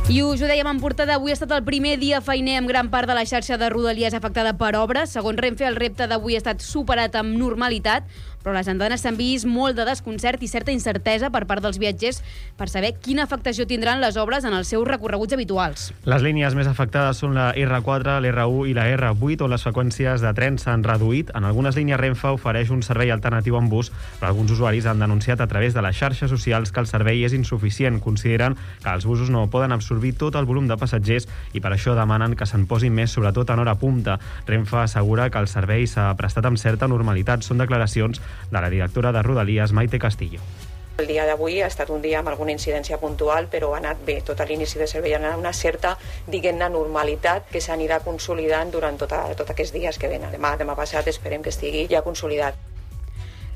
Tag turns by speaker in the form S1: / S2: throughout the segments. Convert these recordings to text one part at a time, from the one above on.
S1: I us ho dèiem en portada, avui ha estat el primer dia feiner amb gran part de la xarxa de Rodalies afectada per obres. Segons Renfe, el repte d'avui ha estat superat amb normalitat, però les andanes s'han vist molt de desconcert i certa incertesa per part dels viatgers per saber quina afectació tindran les obres en els seus recorreguts habituals.
S2: Les línies més afectades són la R4, l'R1 i la R8, on les freqüències de tren s'han reduït. En algunes línies Renfe ofereix un servei alternatiu en bus, però alguns usuaris han denunciat a través de les xarxes socials que el servei és insuficient. Consideren que els busos no poden absorbir tot el volum de passatgers i per això demanen que se'n posin més, sobretot en hora punta. Renfe assegura que el servei s'ha prestat amb certa normalitat. Són declaracions de la directora de Rodalies, Maite Castillo.
S3: El dia d'avui ha estat un dia amb alguna incidència puntual, però ha anat bé. Tot l'inici de servei ha anat una certa, diguem-ne, normalitat que s'anirà consolidant durant tots aquests dies que venen. Demà passat esperem que estigui ja consolidat.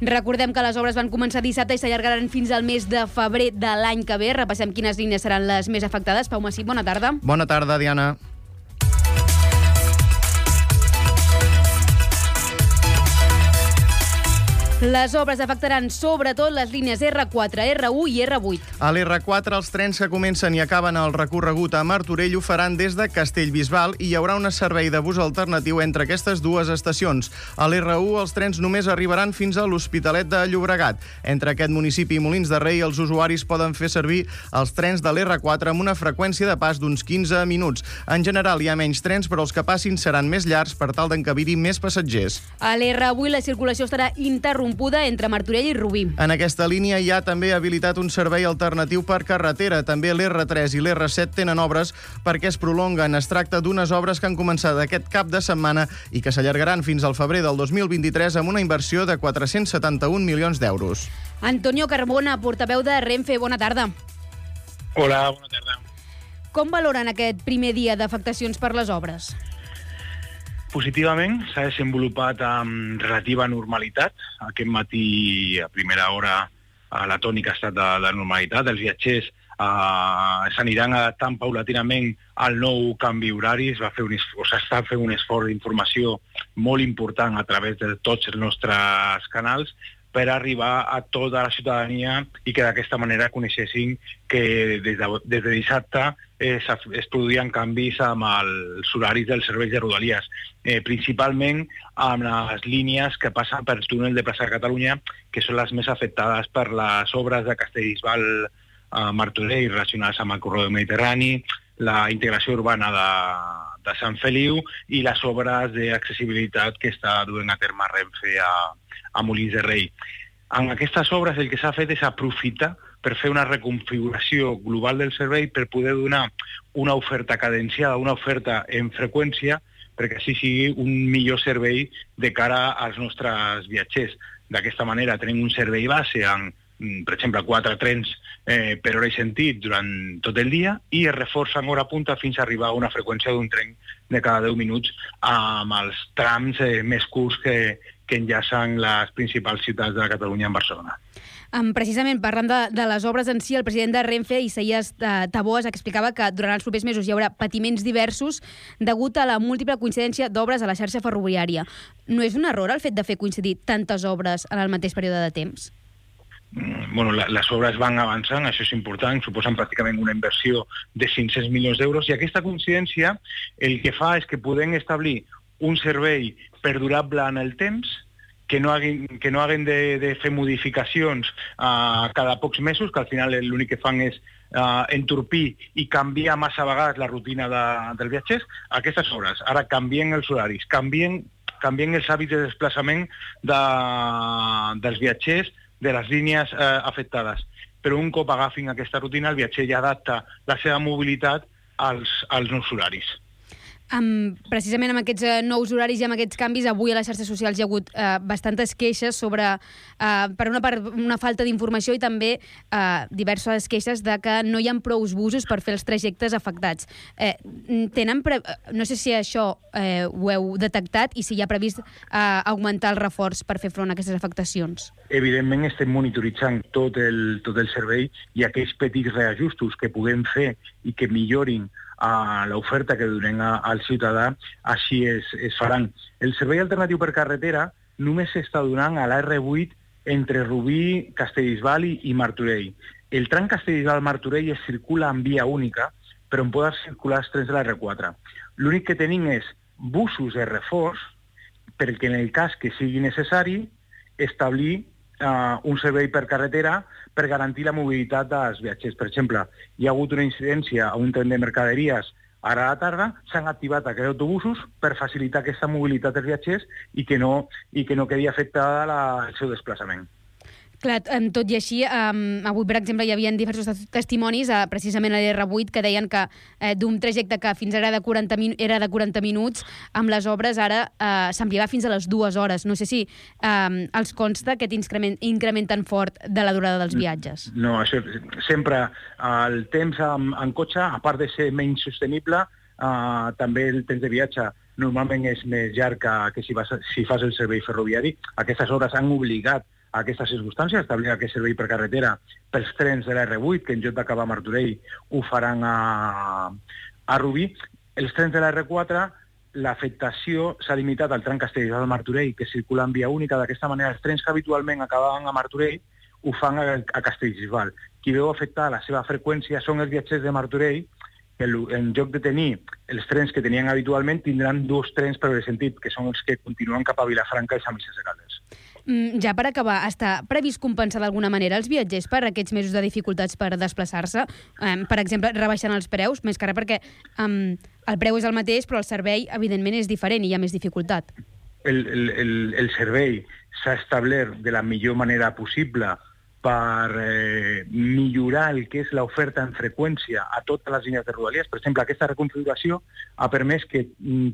S1: Recordem que les obres van començar dissabte i s'allargaran fins al mes de febrer de l'any que ve. Repassem quines línies seran les més afectades. Pau Massip, bona tarda.
S4: Bona tarda, Diana.
S1: Les obres afectaran sobretot les línies R4, R1 i R8.
S4: A l'R4, els trens que comencen i acaben el recorregut a Martorell ho faran des de Castellbisbal i hi haurà un servei de bus alternatiu entre aquestes dues estacions. A l'R1, els trens només arribaran fins a l'Hospitalet de Llobregat. Entre aquest municipi i Molins de Rei, els usuaris poden fer servir els trens de l'R4 amb una freqüència de pas d'uns 15 minuts. En general, hi ha menys trens, però els que passin seran més llargs per tal d'encabir-hi més passatgers.
S1: A l'R8, la circulació estarà interrompuda entre Martorell i Rubí.
S4: En aquesta línia hi ha també habilitat un servei alternatiu per carretera. També l'R3 i l'R7 tenen obres perquè es prolonguen. Es tracta d'unes obres que han començat aquest cap de setmana i que s'allargaran fins al febrer del 2023 amb una inversió de 471 milions d'euros.
S1: Antonio Carbona, portaveu de Renfe, bona tarda.
S5: Hola, bona tarda.
S1: Com valoren aquest primer dia d'afectacions per les obres?
S5: Positivament, s'ha desenvolupat amb relativa normalitat. Aquest matí, a primera hora, la tònica ha estat de normalitat. Els viatgers s'aniran adaptant paulatinament al nou canvi horari. S'està fent un esforç d'informació molt important a través de tots els nostres canals per arribar a tota la ciutadania i que d'aquesta manera coneixessin que des de dissabte es produïen canvis amb els horaris dels serveis de Rodalies, principalment amb les línies que passen per túnel de Plaça de Catalunya, que són les més afectades per les obres de Castellbisbal a Martorell relacionades amb el corredor mediterrani, la integració urbana de Sant Feliu i les obres d'accessibilitat que està duent a terme Renfe a Molins de Rei. En aquestes obres el que s'ha fet és aprofitar per fer una reconfiguració global del servei per poder donar una oferta cadenciada, una oferta en freqüència, perquè així sigui un millor servei de cara als nostres viatgers. D'aquesta manera tenim un servei base amb, per exemple, 4 trens per hora i sentit durant tot el dia i es reforça en hora punta fins a arribar a una freqüència d'un tren de cada 10 minuts amb els trams més curts que enllacen les principals ciutats de Catalunya amb Barcelona.
S1: Precisament, parlant de les obres en si, el president de Renfe, Isaías Tabós, explicava que durant els propers mesos hi haurà patiments diversos degut a la múltiple coincidència d'obres a la xarxa ferroviària. No és un error el fet de fer coincidir tantes obres en el mateix període de temps?
S5: Bueno, les obres van avançant, això és important, suposen pràcticament una inversió de 500 milions d'euros i aquesta coincidència el que fa és que podem establir un servei perdurable en el temps, que no hagin de fer modificacions cada pocs mesos, que al final l'únic que fan és entorpir i canviar massa vegades la rutina dels viatgers. Aquestes obres ara canvien els horaris, canvien els hàbits de desplaçament dels viatgers de les línies afectades. Però un cop agafin aquesta rutina, el viatger ja adapta la seva mobilitat als nous horaris.
S1: Precisament amb aquests nous horaris i amb aquests canvis, avui a les xarxes socials hi ha hagut bastantes queixes sobre, per una part, una falta d'informació i també diverses queixes de que no hi ha prous busos per fer els trajectes afectats. No sé si això ho heu detectat i si hi ha previst augmentar el reforç per fer front a aquestes afectacions.
S5: Evidentment estem monitoritzant tot el servei i aquells petits reajustos que puguem fer i que millorin a l'oferta que donem al ciutadà, així es faran. El servei alternatiu per carretera només s'està donant a l'R8 entre Rubí, Castellbisbal i Martorell. El tram Castellbisbal-Martorell es circula en via única però on poden circular els trens de la R4. L'únic que tenim és busos de reforç perquè en el cas que sigui necessari establir un servei per carretera per garantir la mobilitat dels viatgers. Per exemple, hi ha hagut una incidència a un tren de mercaderies ara a la tarda, s'han activat aquests autobusos per facilitar aquesta mobilitat dels viatgers i que no quedi afectada el seu desplaçament.
S1: Clar, tot i així, avui, per exemple, hi havia diversos testimonis, precisament a l'R8, que deien que d'un trajecte que fins ara era de 40 minuts, amb les obres ara s'ampliava fins a les 2 hores. No sé si els consta aquest increment tan fort de la durada dels viatges.
S5: No, això, sempre el temps en cotxe, a part de ser menys sostenible, també el temps de viatge normalment és més llarg que si fas el servei ferroviari. Aquestes hores han obligat a aquestes circumstàncies, establir aquest servei per carretera pels trens de la R8, que en lloc d'acabar a Martorell ho faran a Rubí. Els trens de la R4, l'afectació s'ha limitat al tram Castellbisbal-Martorell, que circula en via única. D'aquesta manera, els trens que habitualment acabaven a Martorell ho fan a Castellbisbal. Qui veu afectar la seva freqüència són els viatgers de Martorell, que en lloc de tenir els trens que tenien habitualment, tindran 2 trens per el sentit, que són els que continuen cap a Vilafranca i Sant Vicenç de Calders.
S1: Ja per acabar, està previst compensar d'alguna manera els viatgers per aquests mesos de dificultats per desplaçar-se? Per exemple, rebaixant els preus, més que res perquè el preu és el mateix, però el servei, evidentment, és diferent i hi ha més dificultat.
S5: El servei s'ha establert de la millor manera possible per millorar el que és l'oferta en freqüència a totes les línies de Rodalies. Per exemple, aquesta reconfiguració ha permès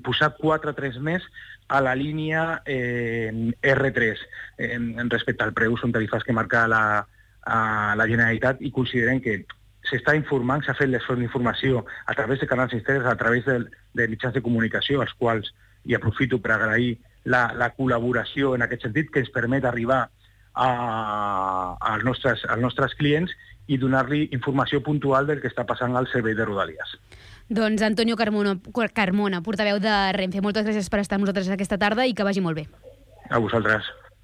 S5: posar 4 trens més a la línia R3 respecte al preu. Són tarifes que marca la Generalitat i considerem que s'està informant, s'ha fet l'esforç d'informació a través de canals externs, a través de mitjans de comunicació, als quals, i aprofito per agrair la col·laboració en aquest sentit, que ens permet arribar als nostres clients i donar-li informació puntual del que està passant al servei de Rodalies.
S1: Doncs Antonio Carmona, portaveu de Renfe, moltes gràcies per estar amb nosaltres aquesta tarda i que vagi molt bé.
S5: A vosaltres.